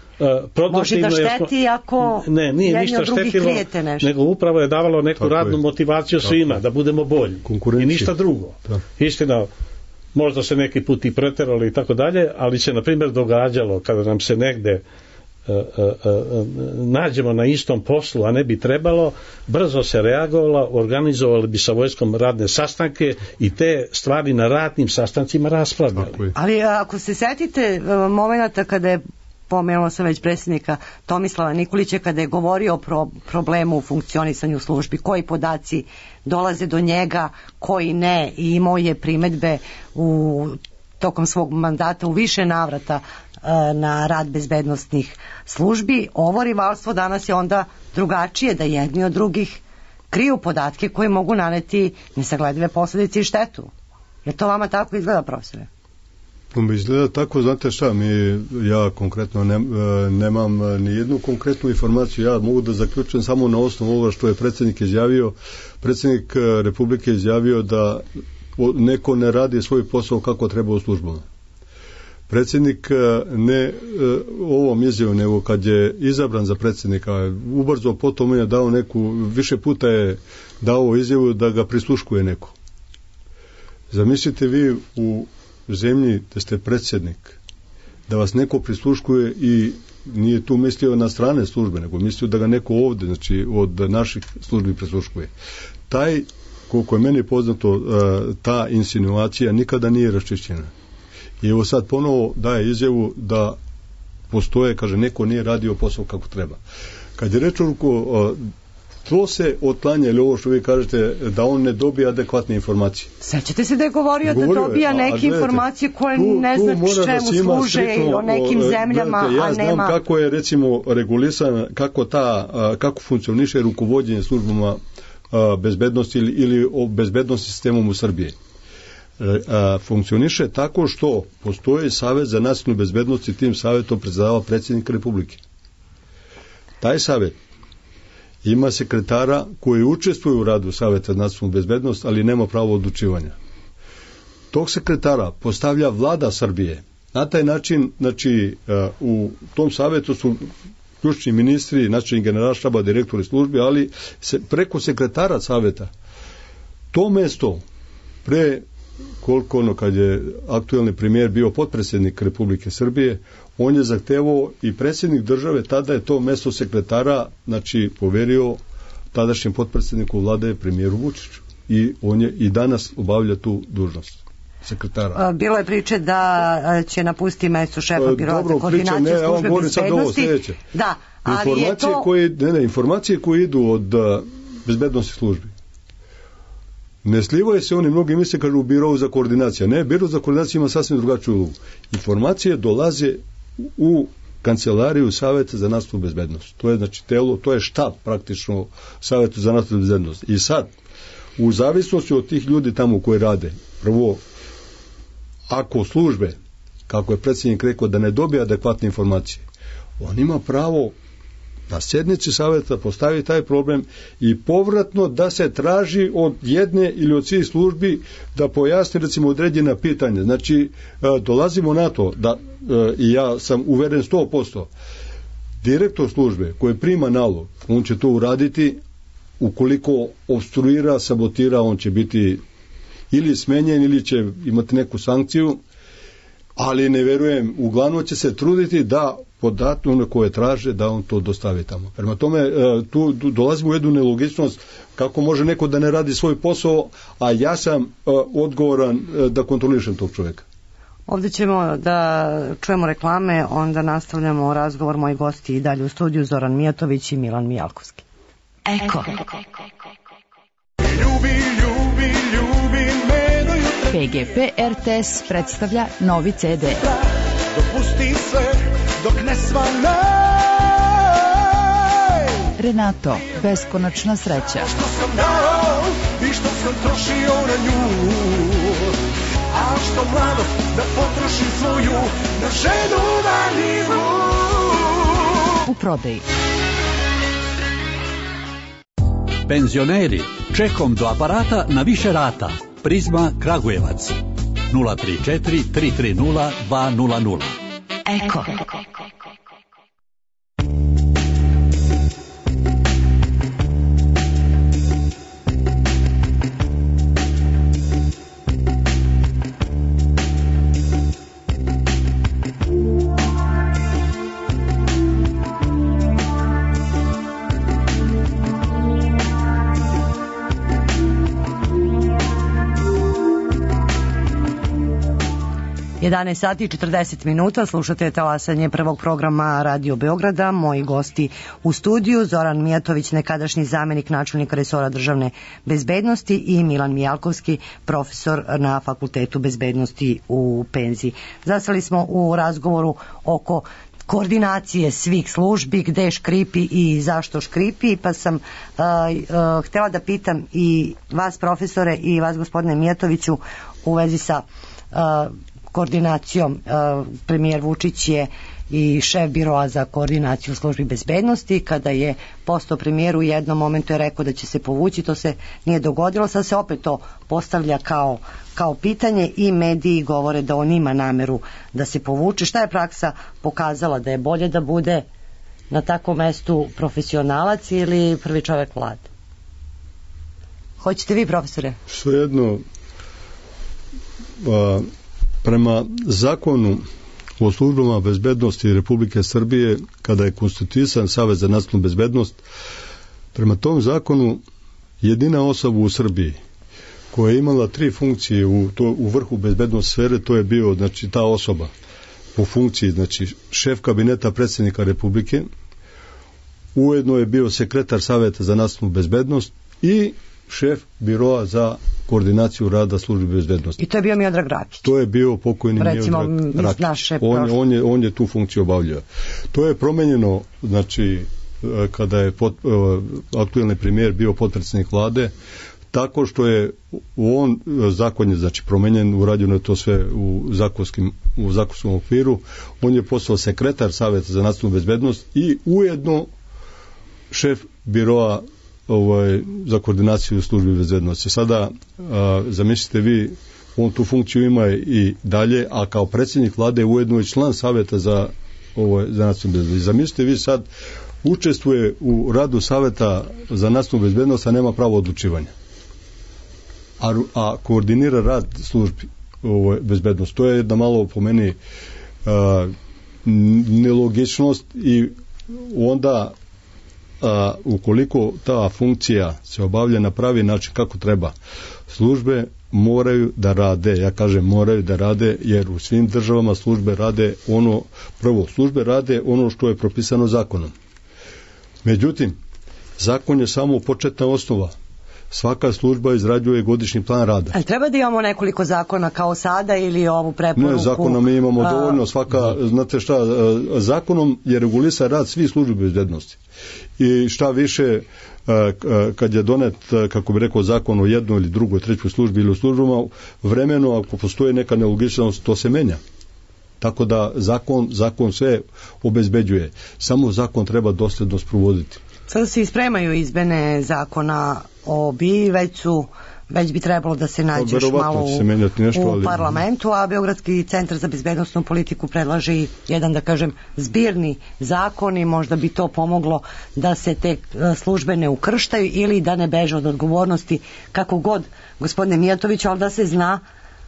može da šteti ako jedni od drugih krijete nešto. Nego upravo je davalo neku radnu motivaciju svima, da budemo bolji. I ništa drugo. Istina, možda se neki put i preterali i tako dalje, ali se na primjer događalo kada nam se negde nađemo na istom poslu, a ne bi trebalo, brzo se reagovalo, organizovali bi sa vojskom radne sastanke i te stvari na radnim sastancima raspravljali. Ali ako se setite momenata kada je, pomenuo sam već predsjednika Tomislava Nikolića, kada je govorio o problemu u funkcionisanju službi, koji podaci dolaze do njega, koji ne, i imao je primedbe tokom svog mandata u više navrata na rad bezbednostnih službi. Ovo rivalstvo danas je onda drugačije, da jedni od drugih kriju podatke koji mogu naneti nesagledive posljedice i štetu. Je to vama tako izgleda, profesore? Izgleda tako, znate šta, ja konkretno nemam ni jednu konkretnu informaciju, ja mogu da zaključujem samo na osnovu ovoga što je predsjednik izjavio. Predsjednik Republike izjavio da neko ne radi svoj posao kako treba u službama. Predsjednik ne ovom izjavom, nego kad je izabran za predsjednika, ubrzo potom je dao više puta je dao izjavu da ga prisluškuje neko. Zamislite vi u zemlji da ste predsjednik, da vas neko prisluškuje i nije tu mislio na strane službe, nego mislio da ga neko ovdje, znači od naših službi prisluškuje. Koliko je meni poznato, ta insinuacija nikada nije raščišćena. I evo sad ponovo daje izjavu da postoje, kaže, neko nije radio posao kako treba. Kad je reč o to se otklanja, ili ovo što vi kažete, da on ne dobije adekvatne informacije. Sećate se da je govorio da dobija neke informacije koje ne zna čemu služe i o nekim zemljama, a nema... Ja znam kako je, recimo, regulisan, kako funkcioniše rukovođenje službama bezbednosti ili o bezbednosti sistemom u Srbiji. Funkcioniše tako što postoji Savet za nacionalnu bezbednost i tim savetom predsedava predsjednik Republike. Taj savet ima sekretara koji učestvuje u radu Saveta za nacionalnu bezbednost, ali nema pravo odlučivanja. Tog sekretara postavlja vlada Srbije. Na taj način, znači, u tom savetu su ključni ministri, načelnik generalštaba, direktori službi, ali preko sekretara saveta to mesto kad je aktuelni premijer bio potpredsjednik Republike Srbije, on je zahtevao i predsjednik države, tada je to mesto sekretara, znači, poverio tadašnjem potpredsjedniku vlade, premijeru Vučiću. I on je i danas obavlja tu dužnost sekretara. Bilo je priče da će napustiti mesto šefa biroa za koordinaciju službe bezbednosti. Da, ali je to... Informacije koje idu od bezbednosti službi ne slivaju se, oni mnogi misle, kažu, u birovu za koordinaciju. Ne, biro za koordinaciju ima sasvim drugačiju ulogu. Informacije dolaze u kancelariju Saveta za nacionalnu bezbednost. To je, znači, telo, to je štab praktično Saveta za nacionalnu bezbednost. I sad, u zavisnosti od tih ljudi tamo koji rade, prvo, ako službe, kako je predsjednik rekao, da ne dobije adekvatne informacije, on ima pravo na sjednici saveta postavi taj problem i povratno da se traži od jedne ili od svih službi da pojasni, recimo, određena pitanja. Znači, dolazimo na to da, i ja sam uveren 100%, direktor službe koji prima nalog, on će to uraditi, ukoliko obstruira, sabotira, on će biti ili smenjen ili će imati neku sankciju, ali ne verujem, uglavnom će se truditi da podatke one koje traže, da on to dostavi tamo. Prema tome, tu dolazimo u jednu nelogičnost, kako može neko da ne radi svoj posao, a ja sam odgovoran da kontrolišem tog čovjeka. Ovdje ćemo da čujemo reklame, onda nastavljamo razgovor. Moji gosti i dalje u studiju, Zoran Mijatović i Milan Mijalkovski. Eko. PGP RTS predstavlja novi CD. Dopusti sve dok ne svane. Renato, beskonačna sreća. Što sam dao i što sam trošio na nju, a što mladost da potrošim svoju na ženu vanilju. U prodaji. Penzioneri, Čekom do aparata na više rata. Prizma Kragujevac 034 330 200. Eko. Sati 40 minuta, slušate talasanje prvog programa Radio Beograda. Moji gosti u studiju, Zoran Mijatović, nekadašnji zamenik načelnika resora državne bezbednosti, i Milan Mijalkovski, profesor na Fakultetu bezbednosti u penziji. Zastali smo u razgovoru oko koordinacije svih službi, gde škripi i zašto škripi, pa sam htjela da pitam i vas, profesore, i vas, gospodine Mijatoviću, u vezi sa koordinacijom. Premijer Vučić je i šef biroa za koordinaciju službi bezbednosti. Kada je postao premijer, u jednom momentu je rekao da će se povući, to se nije dogodilo, sad se opet to postavlja kao pitanje i mediji govore da on ima nameru da se povuče. Šta je praksa pokazala, da je bolje da bude na takvom mestu profesionalac ili prvi čovjek vlade? Hoćete vi, profesore? Svejedno, prema zakonu o službama bezbednosti Republike Srbije, kada je konstituisan Savet za nacionalnu bezbednost, prema tom zakonu jedina osoba u Srbiji koja je imala 3 funkcije u vrhu bezbednost sfere, to je bio, znači, ta osoba po funkciji, znači, šef kabineta predsjednika Republike, ujedno je bio sekretar Saveta za nacionalnu bezbednost i šef biroa za koordinaciju rada službe bezbednosti. I to je bio Miodrag Rakić. To je bio pokojni Miodrag Rakić. On je tu funkciju obavljao. To je promenjeno, znači, kada je aktuelni premijer bio potpredsjednik vlade, tako što je zakon je, znači, promenjen, urađeno je to sve u zakonskom okviru. On je postao sekretar Saveta za nacionalnu bezbednost i ujedno šef biroa za koordinaciju službi bezbednosti. Sada zamislite vi, on tu funkciju ima i dalje, a kao predsjednik vlade ujedno je član Saveta za nacionalnu bezbednost. Zamislite vi, sad učestvuje u radu Saveta za nacionalnu bezbednost, a nema pravo odlučivanja, a koordinira rad službi bezbednosti. To je jedna malo, po meni, nelogičnost, i onda ukoliko ta funkcija se obavlja na pravi način kako treba, službe moraju da rade, ja kažem moraju da rade, jer u svim državama službe rade službe rade ono što je propisano zakonom. Međutim, zakon je samo početna osnova. Svaka služba izrađuje godišnji plan rada. Ali treba da imamo nekoliko zakona kao sada ili ovu preporuku? Ne, zakonom mi imamo dovoljno. Znate šta, zakonom je regulisan rad svih službi bezbednosti. I šta više, kad je donet, kako bi rekao, zakon o jednoj ili drugoj, trećoj službi ili u službama, vremeno, ako postoji neka nelogičnost, to se menja. Tako da zakon sve obezbeđuje. Samo zakon treba dosledno sprovoditi. Sada se ispremaju izmene zakona o BIA, već bi trebalo da se nađe još malo u parlamentu, a Beogradski centar za bezbednosnu politiku predlaže i jedan, da kažem, zbirni zakon, i možda bi to pomoglo da se te službe ne ukrštaju ili da ne beže od odgovornosti, kako god, gospodine Mijatoviću, ali da se zna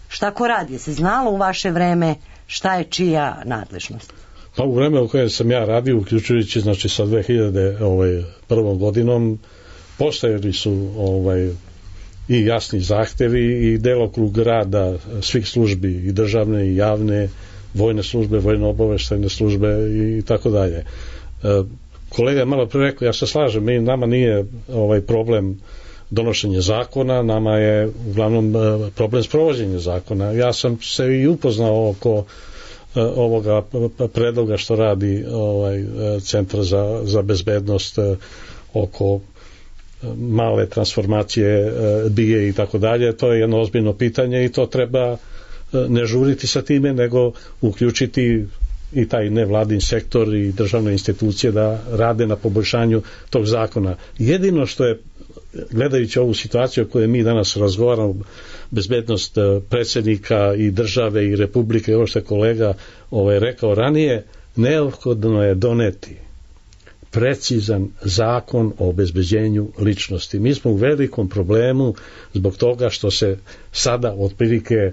šta ko radi. Se znalo u vaše vreme šta je čija nadležnost? Pa u vreme u kojem sam ja radio, uključujući, znači, sa 2001. godinom, postojali su i jasni zahtevi i delokrug rada svih službi, i državne i javne, vojne službe, vojno-obaveštajne službe i tako dalje. Kolega je malo pre rekao, ja se slažem, nama nije problem donošenje zakona, nama je uglavnom problem sprovođenja zakona. Ja sam se i upoznao oko ovoga predloga što radi Centar za bezbednost oko male transformacije BIA i tako dalje. To je jedno ozbiljno pitanje i to treba ne žuriti sa time, nego uključiti i taj nevladin sektor i državne institucije da rade na poboljšanju tog zakona. Jedino što je gledajući ovu situaciju o kojoj mi danas razgovaramo, bezbednost predsjednika i države i republike, ovo što je kolega rekao ranije, neophodno je doneti precizan zakon o obezbeđenju ličnosti. Mi smo u velikom problemu zbog toga što se sada otprilike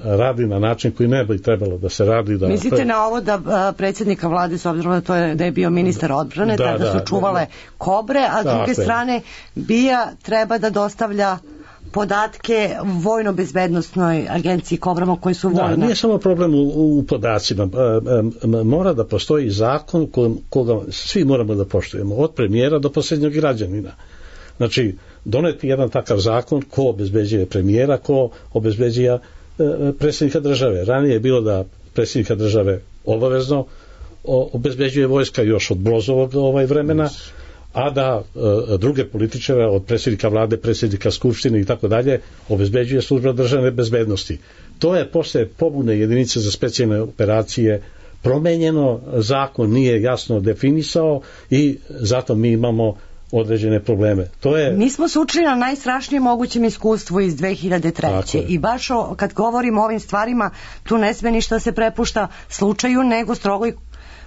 radi na način koji ne bi trebalo da se radi. Mislite na ovo da predsjednika vlade, s obzirom da je bio ministar odbrane, da su čuvale kobre, a s druge strane BIA treba da dostavlja podatke vojno-bezbednostnoj agenciji kobrama koji su vojne. Nije samo problem u podacima. Mora da postoji zakon koga svi moramo da poštujemo, od premijera do posljednjeg građanina. Znači, doneti jedan takav zakon ko obezbeđuje premijera, ko obezbeđuje predsjednika države. Ranije je bilo da predsjednika države obavezno obezbeđuje vojska još od Brozovog vremena, a da druge političare, od predsjednika vlade, predsjednika skupštine i tako dalje, obezbeđuje služba državne bezbednosti. To je posle pobune jedinice za specijalne operacije promenjeno, zakon nije jasno definisao i zato mi imamo određene probleme. Mi smo se učili na najstrašnijem mogućem iskustvu iz 2003. I baš kad govorimo o ovim stvarima, tu ne sme ništa se prepušta slučaju, nego strogoj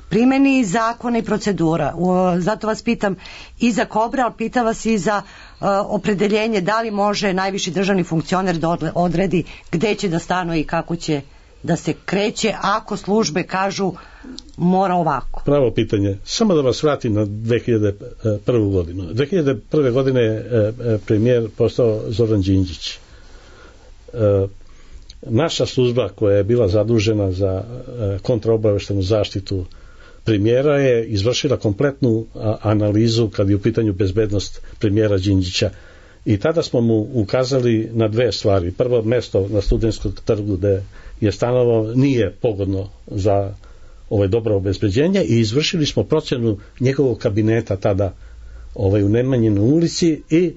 primjeni zakona i procedura. Zato vas pitam i za kobre, ali pitam vas i za opredeljenje da li može najviši državni funkcioner da odredi gde će da stanuje i kako će da se kreće ako službe mora ovako. Pravo pitanje. Samo da vas vratim na 2001. godinu. 2001. godine je premijer postao Zoran Đinđić. Naša služba koja je bila zadužena za kontraobaveštenu zaštitu premijera je izvršila kompletnu analizu kad je u pitanju bezbednost premijera Đinđića. I tada smo mu ukazali na dve stvari. Prvo, mesto na Studentskom trgu gde je stanovao nije pogodno za dobro obezbeđenje i izvršili smo procenu njegovog kabineta tada u Nemanjinoj ulici i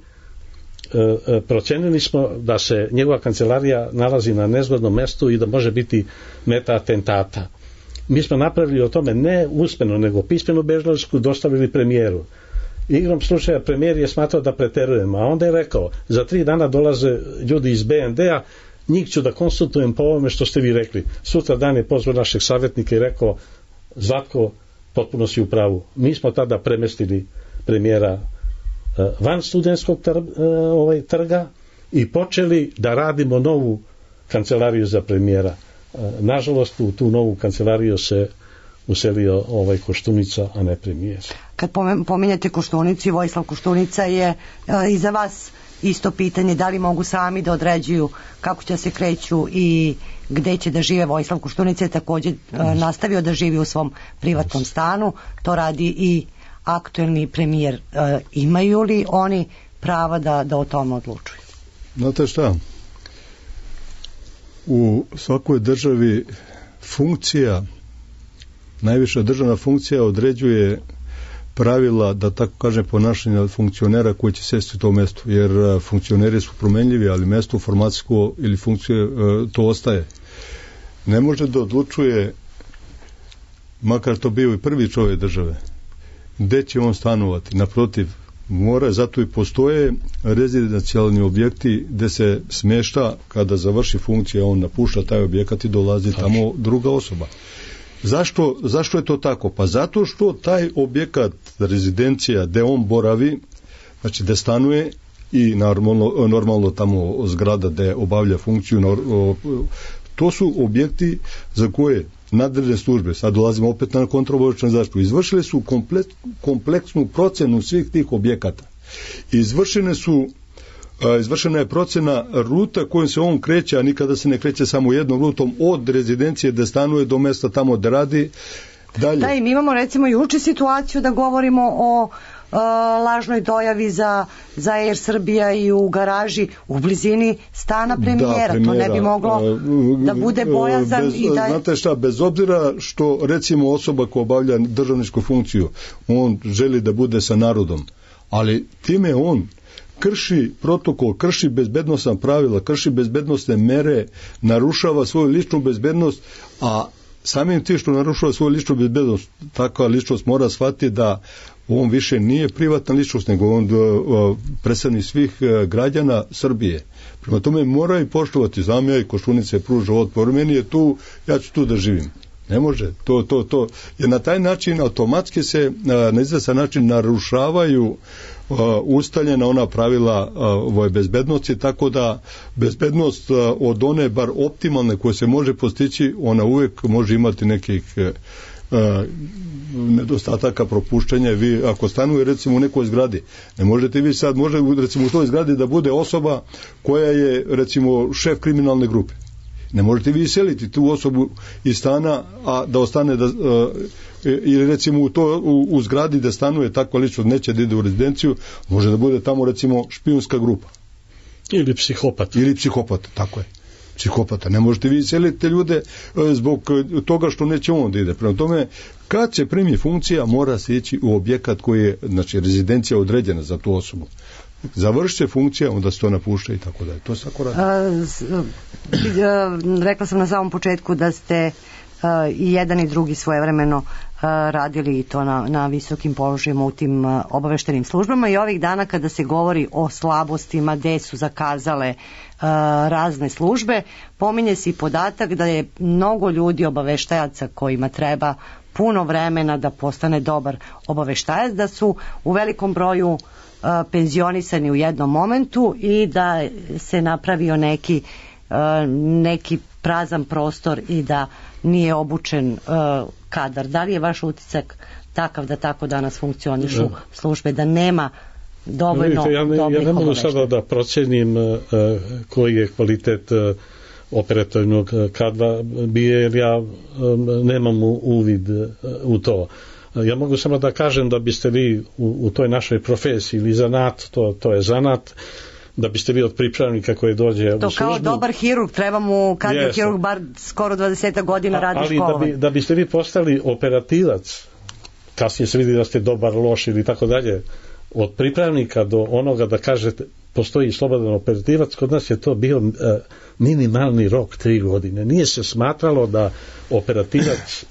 procenili smo da se njegova kancelarija nalazi na nezgodnom mestu i da može biti meta atentata. Mi smo napravili o tome ne usmeno nego pismenu belešku, dostavili premijeru. Igrom slučaja premijer je smatrao da preterujem, a onda je rekao za 3 dana dolaze ljudi iz BND-a, njih ću da konsultujem po ovome što ste vi rekli. Sutra dan je pozvao našeg savjetnika i rekao Zlatko, potpuno si u pravu. Mi smo tada premestili premijera van Studentskog trga i počeli da radimo novu kancelariju za premijera. Nažalost, u tu novu kancelariju se uselio Koštunica, a ne premijer. Kad pominjate Koštunicu i Vojislav Koštunica je i za vas isto pitanje da li mogu sami da određuju kako će se kreću i gde će da žive. Vojislav Koštunica je također nastavio da živi u svom privatnom stanu, to radi i aktuelni premijer. Imaju li oni prava da o tome odlučuju? Znate šta? U svakoj državi funkcija, najviša državna funkcija određuje pravila, da tako kažem, ponašanja funkcionera koji će sesti u to mesto, jer funkcioneri su promenljivi, ali mesto formacijsko ili funkcije to ostaje. Ne može da odlučuje, makar to bio i prvi čovjek države, gde će on stanovati. Naprotiv, mora, zato i postoje rezidencijalni objekti gde se smješta, kada završi funkcija, on napušta taj objekat i dolazi tamo druga osoba. Zašto je to tako? Pa zato što taj objekat, rezidencija, gde on boravi, znači gde stanuje i normalno tamo zgrada gde obavlja funkciju, to su objekti za koje nadležne službe, sad dolazimo opet na kontraobaveštajnu zaštitu, izvršile su kompleksnu procenu svih tih objekata. Izvršena je procena ruta kojom se on kreće, a nikada se ne kreće samo jednom rutom od rezidencije da stanuje do mesta tamo da radi. Dalje. Da, i mi imamo recimo juče situaciju da govorimo o lažnoj dojavi za Air Srbija i u garaži u blizini stana premijera. To ne bi moglo da bude bojazan. Znate šta, bez obzira što recimo osoba koja obavlja državničku funkciju, on želi da bude sa narodom, ali time on krši protokol, krši bezbednosna pravila, krši bezbednosne mere, narušava svoju ličnu bezbednost, a samim tim što narušava svoju ličnu bezbednost, takva ličnost mora shvatiti da on više nije privatna ličnost, nego on predstavnik svih građana Srbije. Prema tome moraju poštovati, znam ja i Koštunica je pružao otpor, meni je tu, ja ću tu da živim. Ne može, to. Jer na taj način automatski se na izvestan način narušavaju ustaljena ona pravila bezbednosti, tako da bezbednost od one bar optimalne koje se može postići, ona uvijek može imati nekih nedostataka, propuštenja. Vi ako stanuje recimo u nekoj zgradi, ne možete vi sad, može recimo u toj zgradi da bude osoba koja je recimo šef kriminalne grupe. Ne možete vi iseliti tu osobu iz stana, a da ostane ili recimo u zgradi da stanuje takva ličnost, neće da ide u rezidenciju, može da bude tamo recimo špijunska grupa. Ili psihopat. Ili psihopata, tako je. Psihopata. Ne možete vi iseliti ljude zbog toga što neće on da ide. Prema tome, kad se primi funkcija, mora se ići u objekat koji je, znači, rezidencija određena za tu osobu. Završi se funkcija, onda se to napušta i tako dalje. To se tako radi. Rekla sam na samom početku da ste i jedan i drugi svojevremeno radili to na visokim položajima u tim obaveštenim službama, i ovih dana kada se govori o slabostima gde su zakazale razne službe, pominje se i podatak da je mnogo ljudi obaveštajaca kojima treba puno vremena da postane dobar obaveštajac, da su u velikom broju penzionisani u jednom momentu i da se napravio neki prazan prostor i da nije obučen kadar. Da li je vaš utisak takav da tako danas funkcionišu službe, da nema dovoljno dobrih obaveštaja? Ja ne mogu sada da procenim koji je kvalitet operativnog kadra bio, jer ja nemam uvid u to. Ja mogu samo da kažem da biste vi u toj našoj profesiji ili zanat, to je zanat, da biste vi od pripravnika koji dođe u službu. To kao dobar hirurg, treba mu kardiokirurg bar skoro 20 godina radi školovanje. Ali da biste vi postali operativac, kasnije se vidi da ste dobar, loš ili tako dalje, od pripravnika do onoga da kažete postoji slobodan operativac, kod nas je to bio minimalni rok 3 godine. Nije se smatralo da operativac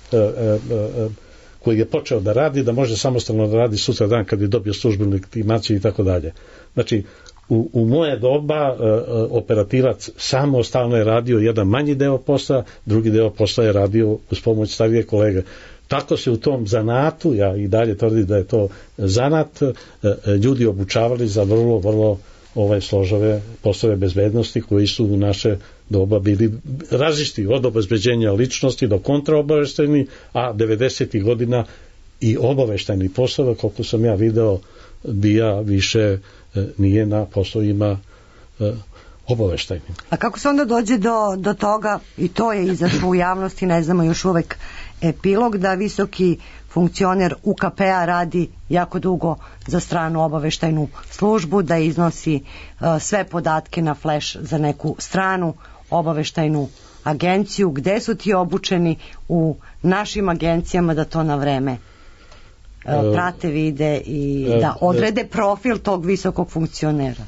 koji je počeo da radi, da može samostalno da radi sutra dan kad je dobio službenu legitimaciju i tako dalje. Znači, u moje doba operativac samostalno je radio jedan manji deo posla, drugi deo posla je radio uz pomoć starije kolege. Tako se u tom zanatu, ja i dalje tvrdim da je to zanat, ljudi obučavali za vrlo, vrlo složave poslove bezbednosti koji su u naše doba bili različiti, od obezbeđenja ličnosti do kontraobaveštajni, a 90. godina i obaveštajni poslove, koliko sam ja video, bija više nije na poslovima obaveštajnim. A kako se onda dođe do toga, i to je izašlo u javnosti, ne znamo još uvek epilog, da visoki funkcioner UKP-a radi jako dugo za stranu obaveštajnu službu, da iznosi sve podatke na flash za neku stranu obaveštajnu agenciju? Gde su ti obučeni u našim agencijama da to na vreme prate, vide i da odrede profil tog visokog funkcionera?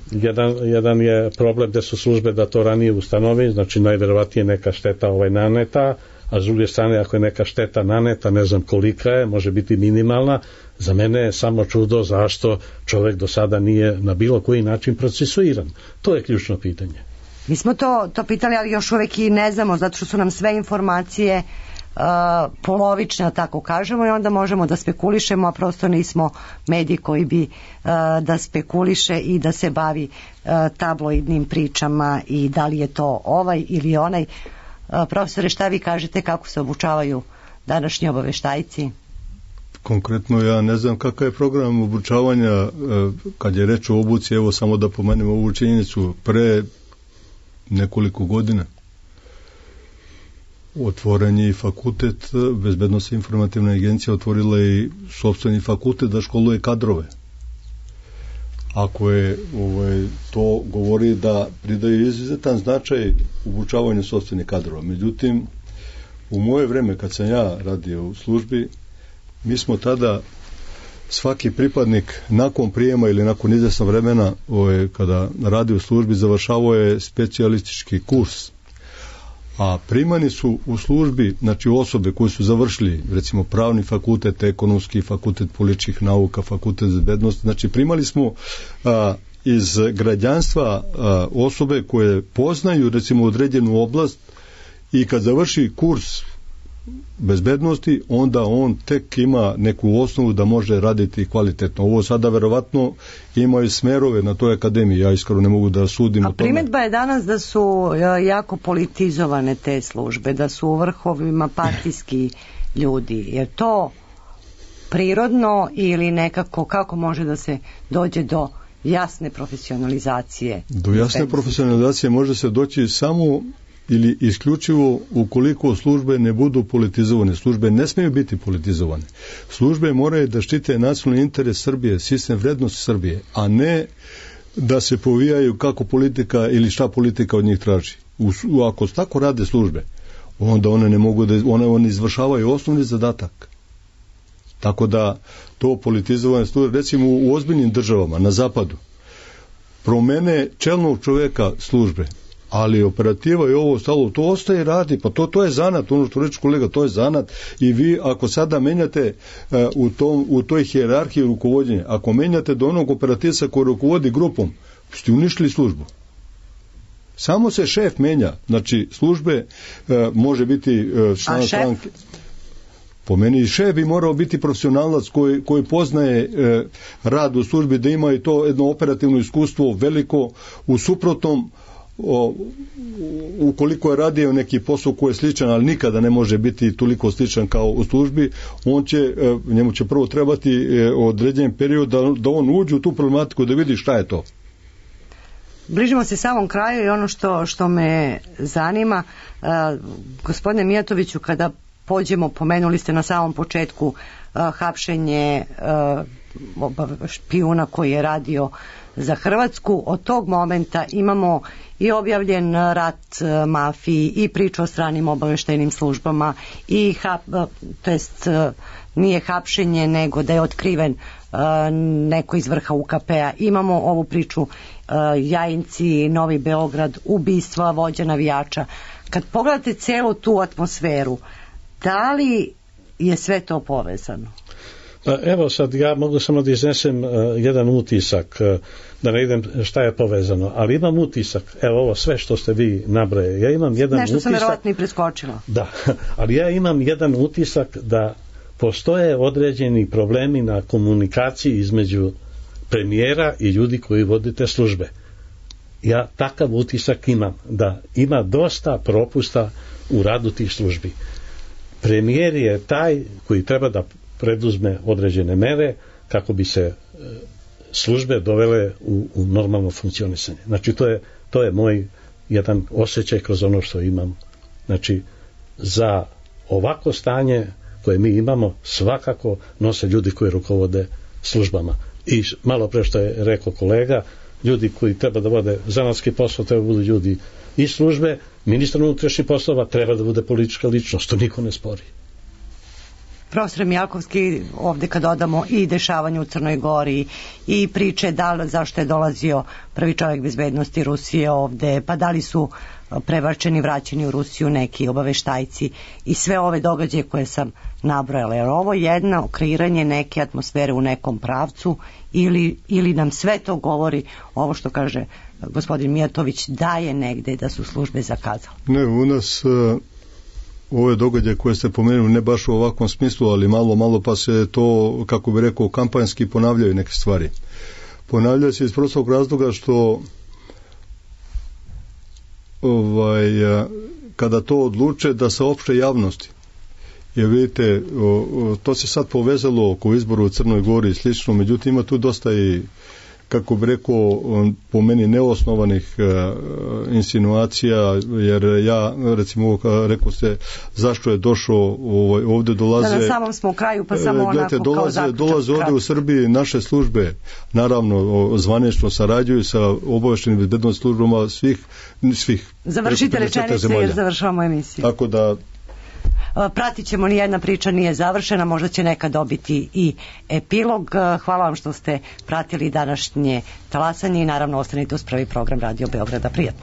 Jedan je problem da su službe da to ranije ustanovi, znači najverovatnije neka šteta naneta, a s druge strane ako je neka šteta naneta, ne znam kolika je, može biti minimalna. Za mene je samo čudo zašto čovjek do sada nije na bilo koji način procesuiran. To je ključno pitanje. Mi smo to pitali, ali još uvek i ne znamo, zato što su nam sve informacije polovične, tako kažemo, i onda možemo da spekulišemo, a prosto nismo mediji koji bi da spekuliše i da se bavi tabloidnim pričama i da li je to ovaj ili onaj. Profesore, šta vi kažete, kako se obučavaju današnji obaveštajci? Konkretno ja ne znam kakav je program obučavanja kad je reč o obuci. Evo samo da pomenem ovu činjenicu, pre nekoliko godina otvoren je i fakultet, Bezbednosna informativna agencija otvorila i sopstveni fakultet da školuje kadrove. Ako je to govori da pridaje izuzetan značaj obučavanju sopstvenih kadrova. Međutim, u moje vreme kad sam ja radio u službi, mi smo tada svaki pripadnik nakon prijema ili nakon izvesnog vremena kada radi u službi završavao je specijalistički kurs. a primani su u službi, znači osobe koje su završili recimo pravni fakultet, ekonomski fakultet političkih nauka, fakultet bezbednosti, znači primali smo iz građanstva osobe koje poznaju recimo određenu oblast i kad završi kurs bezbednosti, onda on tek ima neku osnovu da može raditi kvalitetno. Ovo sada verovatno imaju smerove na toj akademiji, ja iskreno ne mogu da sudim o tome. A primetba je danas da su jako politizovane te službe, da su u vrhovima partijski ljudi. Je to prirodno ili nekako, kako može da se dođe do jasne profesionalizacije? Do jasne profesionalizacije može se doći samo ili isključivo ukoliko službe ne budu politizovane. Službe ne smiju biti politizovane. Službe moraju da štite nacionalni interes Srbije, sistem vrednosti Srbije, a ne da se povijaju kako politika ili šta politika od njih traži. Ako tako rade službe, onda one ne mogu da one izvršavaju osnovni zadatak. Tako da to politizovane službe, recimo u ozbiljnim državama na zapadu, promene čelnog čoveka službe, ali operativa i ovo ostalo, to ostaje i radi, pa to je zanat, ono što reče kolega, to je zanat i vi ako sada menjate u toj hijerarhiji rukovodjenja, ako menjate do onog operativca koji rukovodi grupom, ste uništili službu. Samo se šef menja, znači službe može biti član stranke. Po meni i šef bi morao biti profesionalac koji poznaje rad u službi, da ima i to jedno operativno iskustvo veliko, u suprotnom ukoliko je radio neki posao koji je sličan, ali nikada ne može biti toliko sličan kao u službi, njemu će prvo trebati određen period da on uđe u tu problematiku, da vidi šta je to. Bližimo se samom kraju i ono što me zanima, gospodine Mijatoviću, kada pođemo, pomenuli ste na samom početku hapšenje špijuna koji je radio za Hrvatsku, od tog momenta imamo i objavljen rat mafiji i priču o stranim obaveštajnim službama i nije hapšenje nego da je otkriven neko iz vrha UKP-a. Imamo ovu priču Jajinci, Novi Beograd, ubistva vođa navijača. Kad pogledate celu tu atmosferu, da li je sve to povezano? Pa evo sad ja mogu samo da iznesem jedan utisak, da ne idem šta je povezano, ali imam utisak, evo ovo sve što ste vi nabrojali, ja imam jedan utisak... Nešto sam verovatno i preskočila. Da, ali ja imam jedan utisak da postoje određeni problemi na komunikaciji između premijera i ljudi koji vode te službe. Ja takav utisak imam, da ima dosta propusta u radu tih službi. Premijer je taj koji treba da preduzme određene mere kako bi se službe dovele u normalno funkcionisanje. Znači to je moj jedan osjećaj kroz ono što imam. Znači za ovako stanje koje mi imamo svakako nose ljudi koji rukovode službama. I malo pre što je rekao kolega, ljudi koji treba da vode zanatski posao, treba da budu ljudi iz službe, ministar unutrašnjih poslova treba da bude politička ličnost, to niko ne spori. Profesor Mijalkovski, ovde kad dodamo i dešavanje u Crnoj Gori i priče zašto je dolazio prvi čovjek bezbednosti Rusije ovde, pa da li su prebačeni, vraćeni u Rusiju neki obaveštajci i sve ove događaje koje sam nabrojala. Jer ovo jedno kreiranje neke atmosfere u nekom pravcu ili nam sve to govori ovo što kaže gospodin Mijatović, da je negde da su službe zakazale? Ne, u nas ove događaje koje ste pomenuli ne baš u ovakvom smislu, ali malo pa se to, kako bi rekao, kampanjski ponavljaju neke stvari. Ponavljaju se iz prostog razloga što kada to odluče da saopšte javnosti. Jer vidite, to se sad povezalo oko izboru u Crnoj Gori i slično, međutim ima tu dosta i, kako bi rekao, po meni neosnovanih insinuacija, jer ja, recimo, rekao ste zašto je došao ovde dolaze... Da, na samom smo u kraju, pa samo onako kao zaključak. Dolaze ovde u Srbiji naše službe, naravno, zvanično sarađuju sa obaveštenim bezbednosnim službama svih. Završite rečenice jer završavamo emisiju. Tako da... Pratit ćemo, nijedna priča nije završena, možda će neka dobiti i epilog. Hvala vam što ste pratili današnje talasanje i naravno ostanite uz prvi program Radio Beograda. Prijatno.